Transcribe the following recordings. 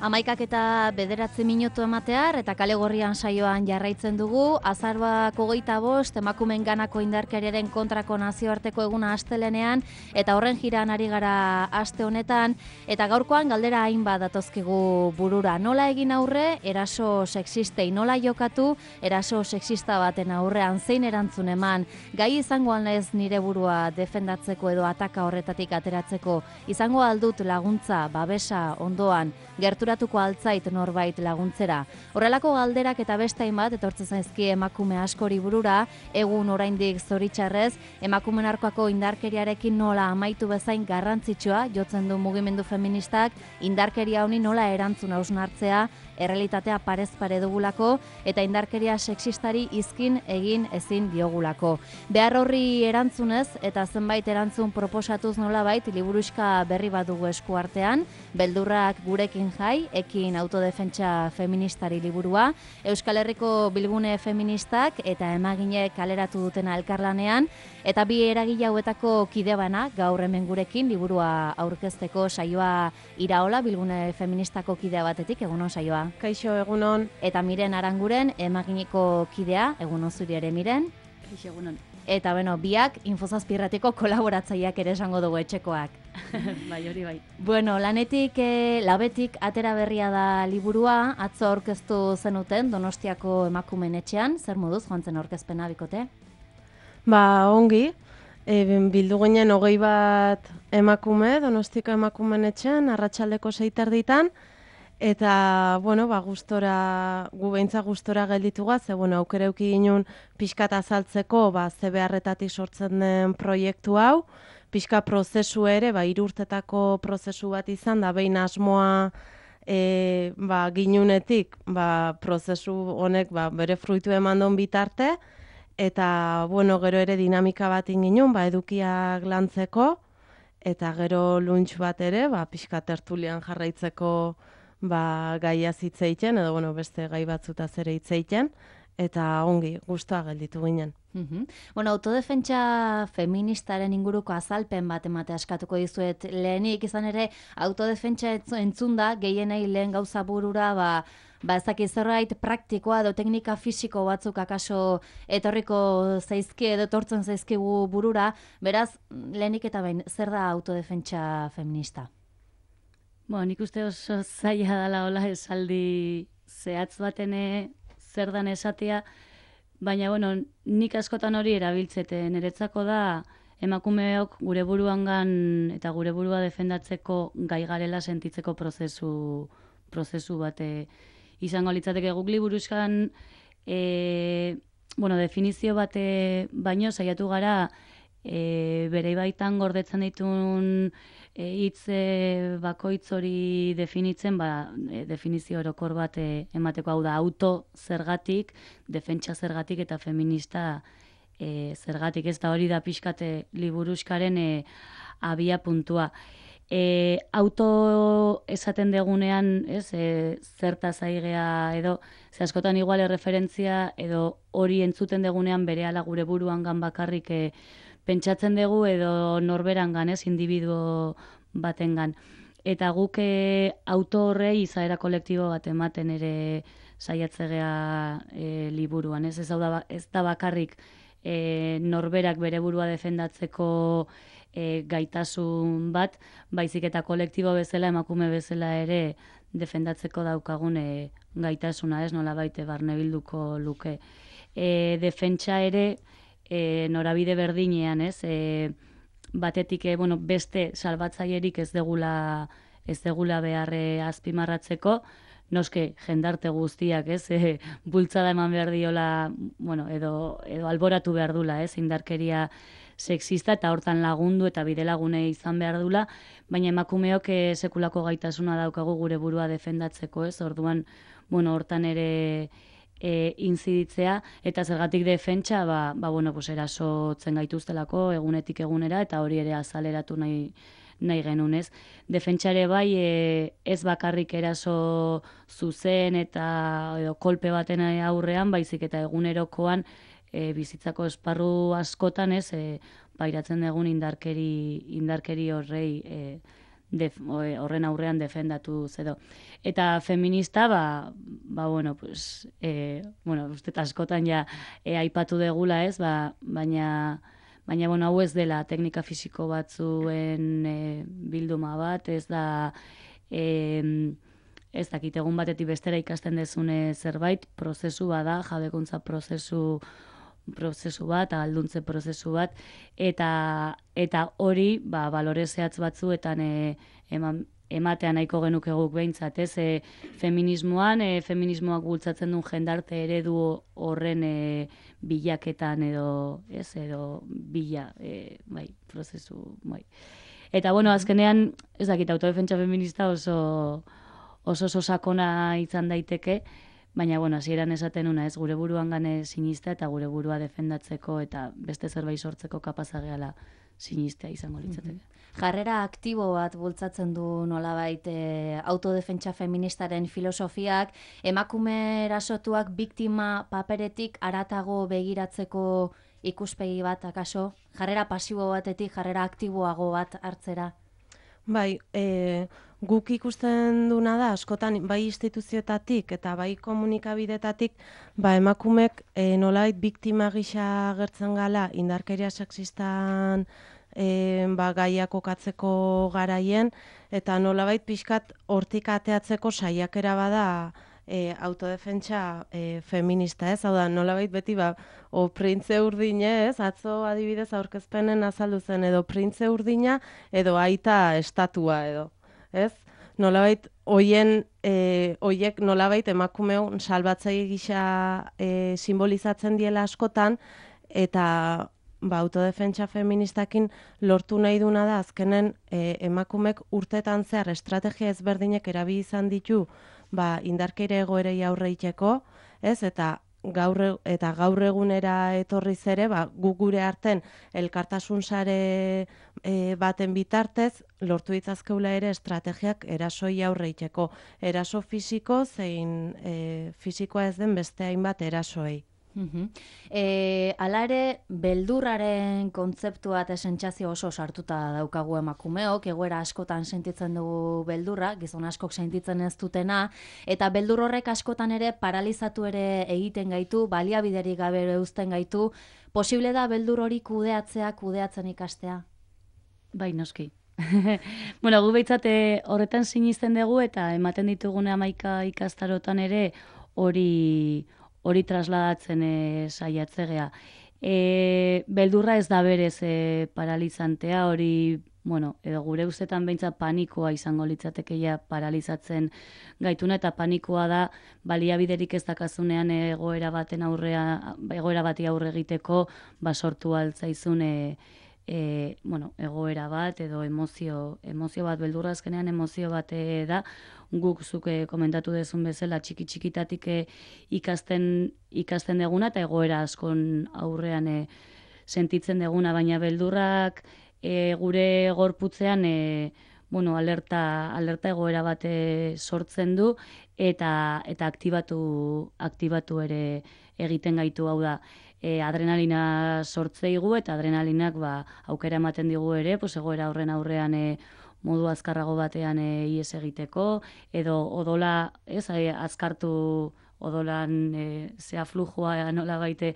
11:09 ematear eta kale gorrian saioan jarraitzen dugu. Azaroak 25 emakumeen ganako indarkeriaren kontrako nazioarteko eguna astelenean eta horren jiran ari gara aste honetan eta gaurkoan galdera hainbat datozkigu burura. Nola egin aurre eraso sexistei, nola jokatu eraso sexista baten aurrean, zein erantzun eman, gai izango alnez nire burua defendatzeko edo ataka horretatik ateratzeko, izango aldut laguntza, babesa, ondoan, gerturatuko altzait norbait laguntzera. Horrelako galderak eta beste hainbat etortzen zaizki emakume askori burura, egun oraindik zoritxarrez, emakumeen aurkako indarkeriarekin nola amaitu bezain garrantzitsua jotzen du mugimendu feministak, indarkeria honi nola erantzun hausnartzea, errealitatea parez pare dugulako eta indarkeria sexistari izkin egin ezin diogulako. Behar horri erantzunez eta zenbait erantzun proposatuz nolabait liburuxka berri bat dugu esku artean, Beldurrak gurekin jai, ekin autodefentsa feministari liburua, Euskal Herriko bilgune feministak eta emagine kaleratu dutena elkarlanean, eta bi eragile hauetako kide bana gaur hemen gurekin liburua aurkezteko. Saioa Iraola, bilgune feministako kidea batetik, egunon saioa. Kaixo, egunon. Eta Miren Aranguren, emagineko kidea, egunon zuri ere Miren. Kaixo, egunon. Eta biak Infozazpirratiko kolaboratzaileak ere esango dugu etxekoak. Bai, hori bai. Bueno, labetik atera berria da liburua, atzo aurkeztu zenuten Donostiako emakumeen etxean, zer moduz joan zen aurkezpena bikote? Ongi, bildu ginen 21 emakume Donostiako emakumeen etxean, arratsaldeko 6:00 eta, gustora, gu beintza gustora gelditu gaz, aukera eduki ginen pixkat azaltzeko, ze beharretatik sortzen den proiektu hau, pixka prozesu ere, 3 urtetako prozesu bat izan da, behin asmoa ginunetik, prozesu honek bere fruitu eman don bitarte, eta, gero ere dinamika bat inginen, edukiak lantzeko, eta gero lunch bat ere, pixka tertulian jarraitzeko gaia zitzeiten, edo beste gai batzutaz ere hitzeiten, eta ongi, gustoa gelditu ginen. Autodefentsa feministaren inguruko azalpen bat ematea eskatuko dizuet lehenik, izan ere autodefentsa entzun da, gehienei lehen gauza burura, ezaki zerbait praktikoa edo teknika fisiko batzuk akaso etorriko zaizki edo etortzen zaizkigu burura, beraz, lehenik eta behin, zer da autodefentsa feminista? Nik uste oso zaila dela hola esaldi zehatz batene zer dan esatea, baina, nik askotan hori erabiltzete. Niretzako da, emakumeok gure buruangan eta gure burua defendatzeko gai garela sentitzeko prozesu bate izango litzateke. Guk liburuzkan definizio bate baino saiatu gara bere baitan gordetzen ditun hitz bakoitz hori definitzen, definizio orokor bat emateko, hau da, auto zergatik, defentsa zergatik eta feminista zergatik. Ez da hori da pixkate liburuskaren abia puntua. Auto esaten degunean, zertaz aigea edo, askotan igual erreferentzia edo hori entzuten degunean berehala gure buruangan bakarrik pentsatzen dugu edo norberangan, individuo batengan. Eta guk auto horrei izaera kolektibo bat ematen ere saiatzegea liburuan. Ez da bakarrik norberak bere burua defendatzeko gaitasun bat, baizik eta kolektibo bezala, emakume bezala ere defendatzeko daukagun gaitasuna, nola baite barnebilduko luke. Defentsa ere norabide berdinean, batetik beste salbatzailerik ez degula beharre azpimarratzeko, noske jendarte guztiak, bultzada eman behar diola, edo alboratu behar dula, indarkeria sexista eta hortan lagundu eta bide lagune izan behar dula, baina emakumeok sekulako gaitasuna daukagu gure burua defendatzeko, orduan, hortan ere inziditzea, eta zergatik defentsa, erasotzen gaituztelako egunetik egunera, eta hori ere azaleratu nahi genunez. Defentsa ere bai, ez bakarrik eraso zuzen eta kolpe baten aurrean, baizik eta egunerokoan bizitzako esparru askotan, pairatzen dugun indarkeri horrei horren aurrean defendatu edo. Eta feminista, bueno, pues, uste askotan ja aipatu degula ez, baina, bueno, hau ez dela teknika fisiko batzuen bilduma bat, ez da, ez dakit, egun batetik bestera ikasten dezune zerbait, prozesu bada, jabekuntza prozesu bat, alduntze prozesu bat, eta hori, balore zehatz batzuetan ematean nahiko genuke guk behintzat, ez? Feminismoak bultzatzen duen jendarte eredu horren bilaketan edo, ez, edo prozesu, bai. Eta, bueno, azkenean, ez dakit, autodefentsa feminista oso sakona izan daiteke, baina, bueno, hasieran esaten una, ez, gure buruan gane sinista eta gure burua defendatzeko eta beste zerbait sortzeko kapazageala sinistea izango litzateke. Jarrera aktibo bat bultzatzen du nolabait autodefentsa feministaren filosofiak, emakume erasotuak biktima paperetik haratago begiratzeko ikuspegi bat, akaso? Jarrera pasibo batetik, jarrera aktiboago bat hartzera? Bai, guk ikusten duna da, askotan bai instituzioetatik eta bai komunikabidetatik, emakumek nolabait biktima gisa agertzen gala indarkeria sexistan gaiak kokatzeko garaien, eta nolabait pixkat hortik ateatzeko saiakera bada autodefentsa feminista, ez? Hau da, nolabait beti printze urdine, ez? Atzo adibidez aurkezpenen azaldu zen, edo printze urdina, edo aita estatua, edo, ez? Nolabait, hoiek nolabait emakumeon salbatzaile gisa simbolizatzen diela askotan, eta autodefentsa feministakin lortu nahi duna da, azkenen emakumek urtetan zehar estrategia ezberdinek erabili izan ditu indarkeria egoerei aurre egiteko, ez? Eta gaur egunera etorriz ere, guk gure arten elkartasun sare baten bitartez, lortu ditzazkeula ere estrategiak erasoi aurre egiteko. Eraso fisiko zein fisikoa ez den beste hainbat erasoei. Hala ere, beldurraren kontzeptua eta sentsazio oso sartuta daukagu emakumeok, egoera askotan sentitzen dugu beldurra, gizon askok sentitzen ez dutena, eta beldur horrek askotan ere paralizatu ere egiten gaitu, baliabiderik gabe uzten gaitu. Posible da beldur hori kudeatzen ikastea? Bai, noski. Bueno, gu behitzate horretan sinisten dugu eta ematen ditugune 11 ikastarotan ere hori trasladatzen saiatzegea. Beldurra ez da berez paralizantea, hori, bueno, edo gure ustetan behintzat panikoa izango litzatekeia paralizatzen gaituna, eta panikoa da baliabiderik ez dakazunean egoera bati aurre egiteko sortu altzaizun egoera bat edo emozio bat. Beldurra azkenean emozio bat da, guk zuk komentatu dezun bezala txikitatik ikasten deguna eta egoera askon aurrean sentitzen deguna, baina beldurrak gure gorputzean alerta egoera bat sortzen du eta aktibatu ere egiten gaitu. Hau da, adrenalina sortzeigu eta adrenalinak aukera ematen digu ere, egoera horren aurrean modu azkarrago batean ihes egiteko, edo odola, azkartu, odolan zea flujua nola baite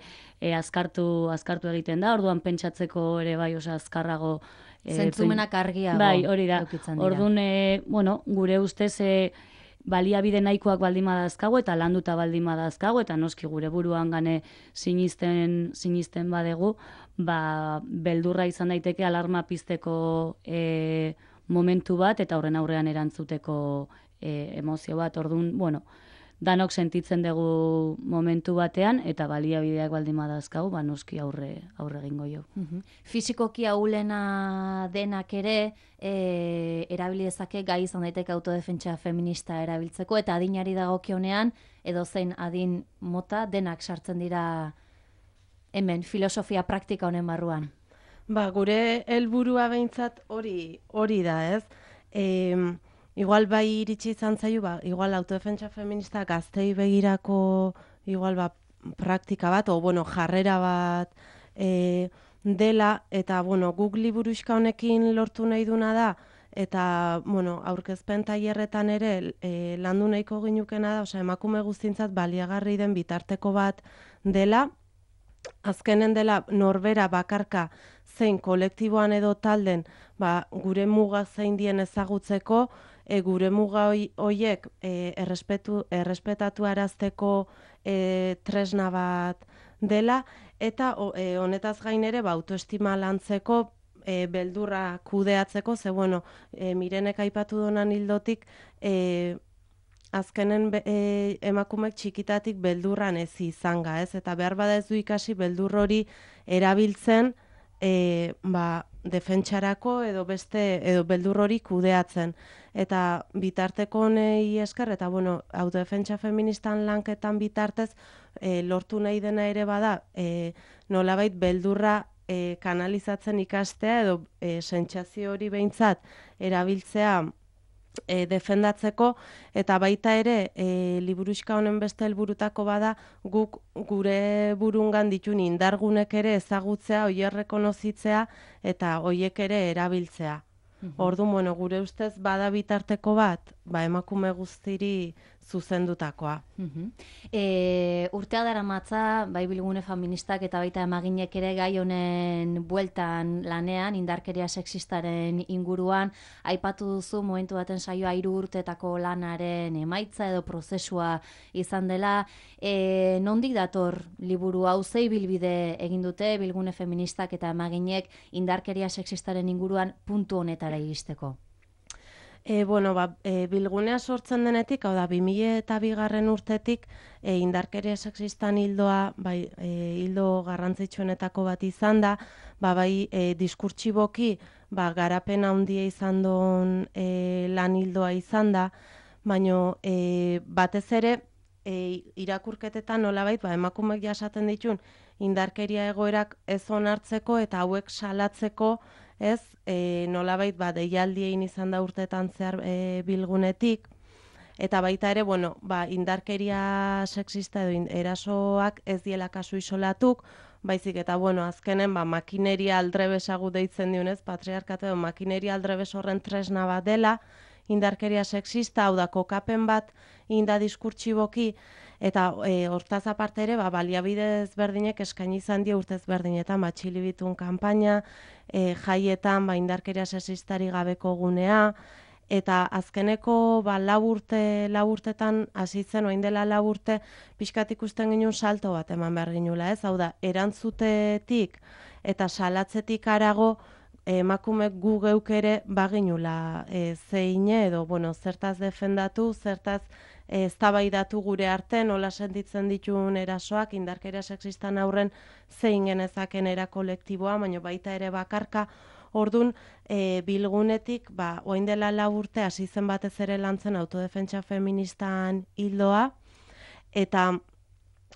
azkartu egiten da, orduan pentsatzeko ere bai oso azkarrago. Zentzumenak argiago. Bai, hori da. Orduan, gure ustez baliabide nahikoak baldin badazkago eta landuta baldin badazkago, eta noski gure buruan gane sinisten badegu, beldurra izan daiteke alarma pizteko momentu bat eta horren aurrean erantzuteko emozio bat. Orduan, danok sentitzen dugu momentu batean eta baliabideak baldin badazkago, noski aurre egingo jo. Fisikoki ahulena denak ere erabili dezake gai izan daiteke autodefentsa feminista erabiltzeko, eta adinari dagokionean edo zein adin mota denak sartzen dira hemen filosofia praktika honen barruan. Gure helburua behintzat hori da, ez? Igual bai iritsi izan zaio, igual autodefentsa feminista gaztei begirako igual praktika bat, jarrera bat dela, eta guk liburuxka honekin lortu nahi duna da, eta, bueno, aurkezpen tailerretan ere landu nahiko ginukena da, emakume guztientzat baliagarri den bitarteko bat dela, azkenen dela norbera bakarka zein kolektiboan edo talden gure muga zein dien ezagutzeko, gure muga horiek errespetatu arazteko tresna bat dela, eta honetaz gain ere autoestima lantzeko, beldurra kudeatzeko, ze bueno, Mirenek aipatu donan hildotik, azkenen emakumek txikitatik beldurran ez izanga, ez? Eta behar bada ez du ikasi beldur hori erabiltzen defentsarako edo beldur hori kudeatzen. Eta bitarteko honei esker, eta bueno, autodefentsa feministan lanketan bitartez, lortu nahi dena ere bada, nolabait beldurra kanalizatzen ikastea edo sentsazio hori behintzat erabiltzea defendatzeko, eta baita ere liburuxka honen beste helburutako bada guk gure burungan ditun indargunek ere ezagutzea, hoiek rekonozitzea eta hoiek ere erabiltzea. Orduan, bueno, gure ustez bada bitarteko bat, emakume guztiri zuzendutakoa. Urtea daramatza, bai Bilgune feministak eta baita emaginek ere gai honen bueltan lanean, indarkeria sexistaren inguruan, aipatu duzu momentu baten saioa 3 urteetako lanaren emaitza edo prozesua izan dela. Nondik dator liburu hau, ze ibilbide egin dute Bilgune feministak eta emaginek indarkeria sexistaren inguruan puntu honetara iristeko? Bilgunea sortzen denetik, hau da, 2002 urtetik, indarkeria sexistan hildoa, hildo garrantzitsuenetako bat izan da, bai diskurtsiboki, garapen handia izan duen lan hildoa izan da, baina batez ere, irakurketetan nolabait, emakumeek jasaten ditun, indarkeria egoerak ez onartzeko eta hauek salatzeko, ez, nolabait deialdiein izan da urteetan zehar Bilgunetik, eta baita ere, indarkeria sexista edo erasoak ez diela kasu isolatuk, baizik eta, azkenen, makineria aldrebesagu deitzen dionez, patriarkatu edo makineria aldrebes horren tresna bat dela, indarkeria sexista, hau da, kokapen bat inda diskurtsiboki, eta hortaz aparte ere, baliabide ezberdinek eskaini izan die urte ezberdinetan, txilibitun kanpaina, jaietan, indarkeria sexistari gabeko gunea, eta azkeneko 4 urtetan hasi zen, orain dela 4 urte, pixkat ikusten ginen salto bat eman behar ginula, ez? Hau da, erantzutetik eta salatzetik harago, emakumek gu geuk ere baginula zeine edo, zertaz defendatu, zertaz eztabaidatu gure arte, nola sentitzen dituen erasoak, indarkeria sexistan aurren zein genezaken era kolektiboa, baina baita ere bakarka. Orduan, Bilgunetik, orain dela 4 urte hasi zen batez ere lantzen autodefentsa feministan hildoa, eta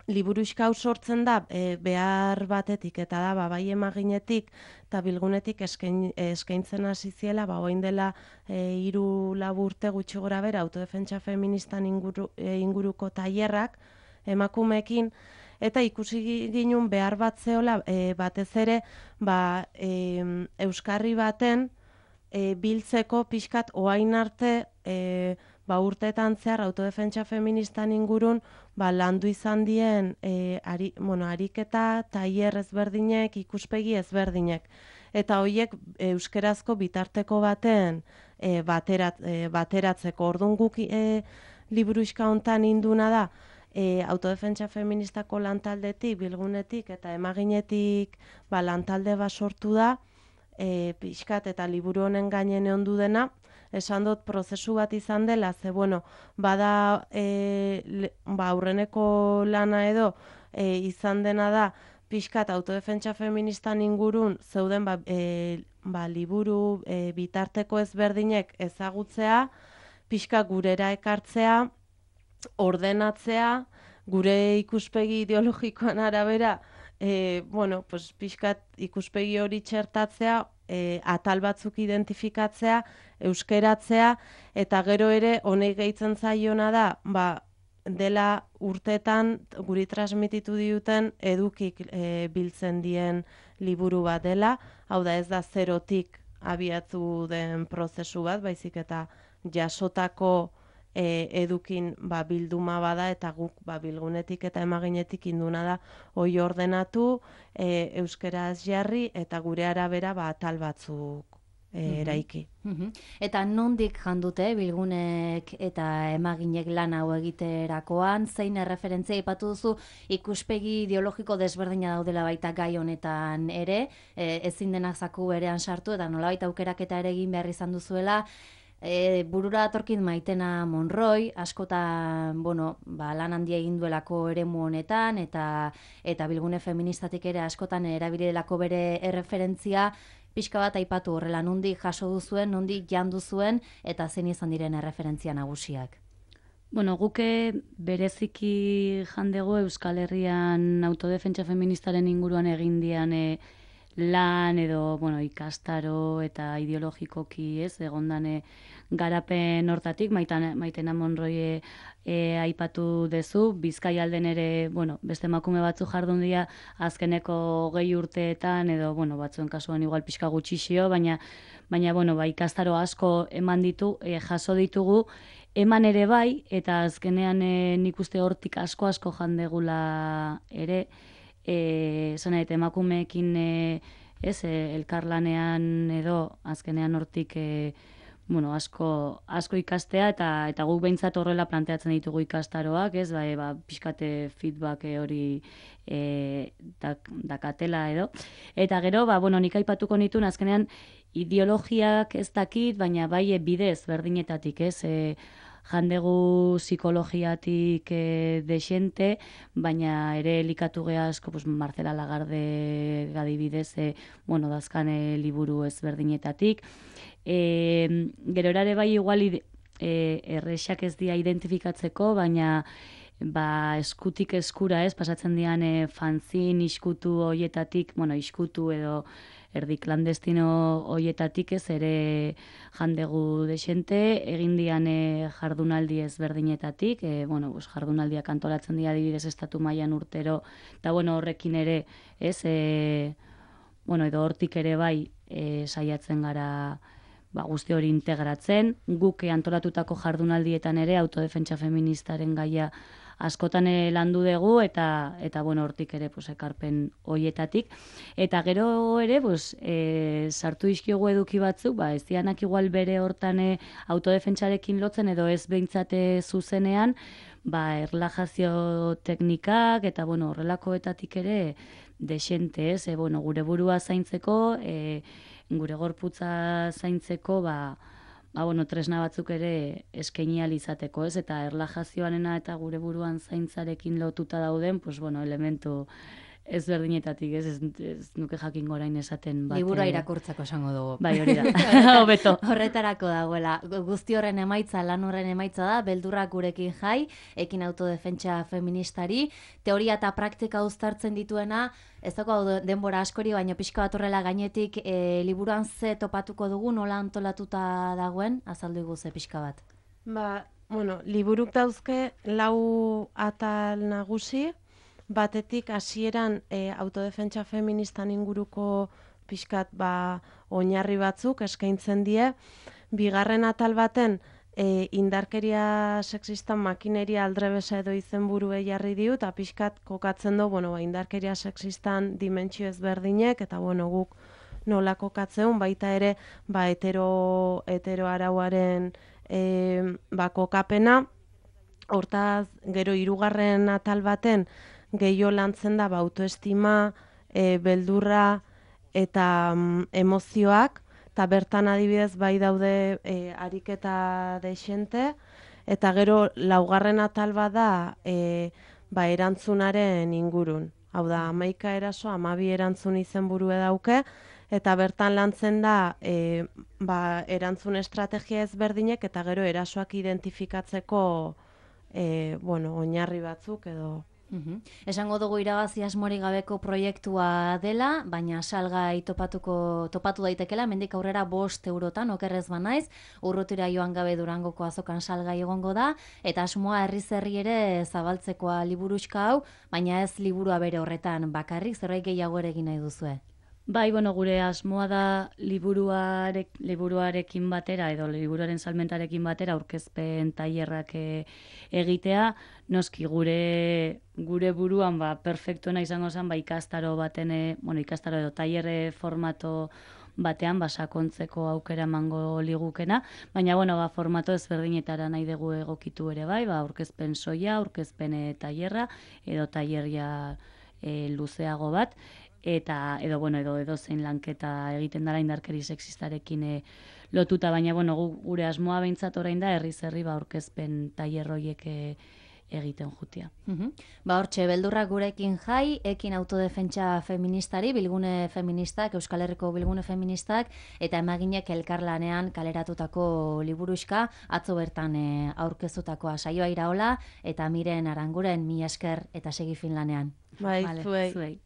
liburuxka hau sortzen da behar batetik, eta da, bai emaginetik eta Bilgunetik eskaintzen hasi ziela, orain dela 3-4 urte gutxi gora bera autodefentsa feministan inguruko tailerrak emakumeekin, eta ikusi ginen behar bat zeola batez ere euskarri baten biltzeko pixkat oain arte urteetan zehar autodefentsa feministan ingurun landu izan dien ariketa, tailer ezberdinek, ikuspegi ezberdinek. Eta horiek euskerazko bitarteko baten bateratzeko. Orduan guk liburuxka hontan induna da, autodefentsa feministako lantaldetik, Bilgunetik eta emaginetik lantalde bat sortu da, pixkat eta liburu honen gainen ondu dena, esan dut prozesu bat izan dela, ze bada aurreneko lana edo izan dena da, pixkat autodefentsa feministan ingurun zeuden liburu bitarteko ezberdinek ezagutzea, pixka gurera ekartzea, ordenatzea, gure ikuspegi ideologikoan arabera, pixkat ikuspegi hori txertatzea, atal batzuk identifikatzea, euskeratzea, eta gero ere honek gehitzen zaiona da, dela urteetan guri transmititu diuten edukik biltzen dien liburu bat dela, hau da ez da zerotik abiatu den prozesu bat, baizik eta jasotako edukin bilduma bada, eta guk bilgunetik eta emaginetik induna da hoi ordenatu, euskeraz jarri, eta gure arabera atal batzuk eraiki. Eta nondik jandute bilgunek eta emaginek lan hau egiterakoan, zein erreferentzia aipatu duzu ikuspegi ideologiko desberdina daudela baita gai honetan ere, ezin denak zaku berean sartu, eta nolabait aukeraketa ere egin behar izan duzuela, burura datorkit Maitena Monroy, askotan, lan handia egin duelako eremu honetan, eta bilgune feministatik ere askotan erabilidelako bere erreferentzia, pixka bat aipatu horrela, nondik jaso duzuen, nondik jandu zuen, eta zein izan diren erreferentzia nagusiak. Guke bereziki jandego Euskal Herrian autodefentsa feministaren inguruan egin dian lan edo ikastaro eta ideologikoki egondane garapen hortatik, Maitena Monroy aipatu dezu, Bizkaialden ere beste emakume batzu jardun dira azkeneko 20 urteetan edo batzuen kasuan igual pixka gutxixio, baina ikastaro asko eman jaso ditugu, eman ere bai, eta azkenean nik uste hortik asko jandegula ere, zanaet emakumeekin elkarlanean edo azkenean hortik asko ikastea, eta guk behintzat horrela planteatzen ditugu ikastaroak, pixkate feedback hori dakatela edo. Eta gero, nik aipatuko nituen azkenean ideologiak ez dakit, baina bai bidez berdinetatik, jandegu psikologiatik desente, baina ere elikatu geha asko, Marcela Lagarde gadibidez, dazkane liburu ezberdinetatik. Gero erare bai igual errexak ez dia identifikatzeko, baina eskutik eskura pasatzen dian fanzin iskutu hoietatik, iskutu edo erdi klandestino hoietatik ere jandegu desente, egin dian jardunaldi ezberdinetatik, jardunaldiak antolatzen dira adibidez estatu mailan urtero, eta horrekin ere, edo hortik ere bai saiatzen gara guzti hori integratzen, guk antolatutako jardunaldietan ere autodefentsa feministaren gaia askotan landu dugu, eta hortik ere ekarpen hoietatik. Eta gero ere, sartu dizkiogu eduki batzuk, ez dianak igual bere hortan autodefentsarekin lotzen, edo ez behintzate zuzenean, erlajazio teknikak, eta horrelakoetatik ere desente, gure burua zaintzeko, gure gorputza zaintzeko, tresna batzuk ere eskaini ahal izateko, eta erlajazioarena eta gure buruan zaintzarekin lotuta dauden, elementu ezberdinetatik, ez nuke jakingo orain esaten bat. Liburua irakurtzako esango dugu. Bai, hori da, hobeto. Horretarako dagoela. Guzti horren emaitza, lan horren emaitza da, beldurrak gurekin jai, ekin autodefentsa feministari, teoria eta praktika uztartzen dituena, ez dago denbora askori, baina pixka bat horrela gainetik liburuan ze topatuko dugu, nola antolatuta dagoen, azaldu iguze pixka bat. Liburuk dauzke 4 atal nagusi, batetik hasieran autodefentsa feministan inguruko pixkat oinarri batzuk eskaintzen die, bigarren atal baten indarkeria sexistan makineria aldrebesa edo izenburuei jarri diu, eta pixkat kokatzen du, indarkeria sexistan dimentsio ezberdinek, eta guk nola kokatzeun, baita ere hetero arauaren kokapena, hortaz gero 3. atal baten gehiago lantzen da autoestima, beldurra eta emozioak, eta bertan adibidez bai daude ariketa desente, eta gero 4. atal bada erantzunaren ingurun. Hau da, 11 eraso, 12 erantzun izenburue dauke, eta bertan lantzen da erantzun estrategia ezberdinek, eta gero erasoak identifikatzeko oinarri batzuk edo. Esango dugu irabazi asmorik gabeko proiektua dela, baina salgai topatu daitekela, mendik aurrera 5 eurotan, okerrez banaiz, urrutira joan gabe Durangoko azokan salgai egongo da, eta asmoa herri ere zabaltzekoa liburuxka hau, baina ez liburua bere horretan bakarrik, zerbait gehiago ere egin nahi duzue. Bai, bueno, gure asmoa da liburuarekin batera edo liburuaren salmentarekin batera aurkezpen tailerrak egitea. Noski gure buruan perfektuena izango zen ikastaro baten, ikastaro edo tailer formato batean sakontzeko aukera emango ligukena, baina formato ezberdinetara nahi dugu egokitu ere bai, aurkezpen soia, aurkezpen tailerra edo tailerria luzeago bat, eta edo zein lanketa egiten dela indarkeri sexistarekin lotuta, baina gure asmoa behintzat orain da herriz herri aurkezpen tailer horiek egiten jutia. Hortxe, beldurrak gurekin jai, ekin autodefentsa feministari, bilgune feministak, Euskal Herriko bilgune feministak, eta emaginek elkarlanean kaleratutako liburuxka, atzo bertan aurkeztutakoa saioa iraola, eta Miren Aranguren, mila esker eta segi Finlanean. Bai, zuei. Zuei.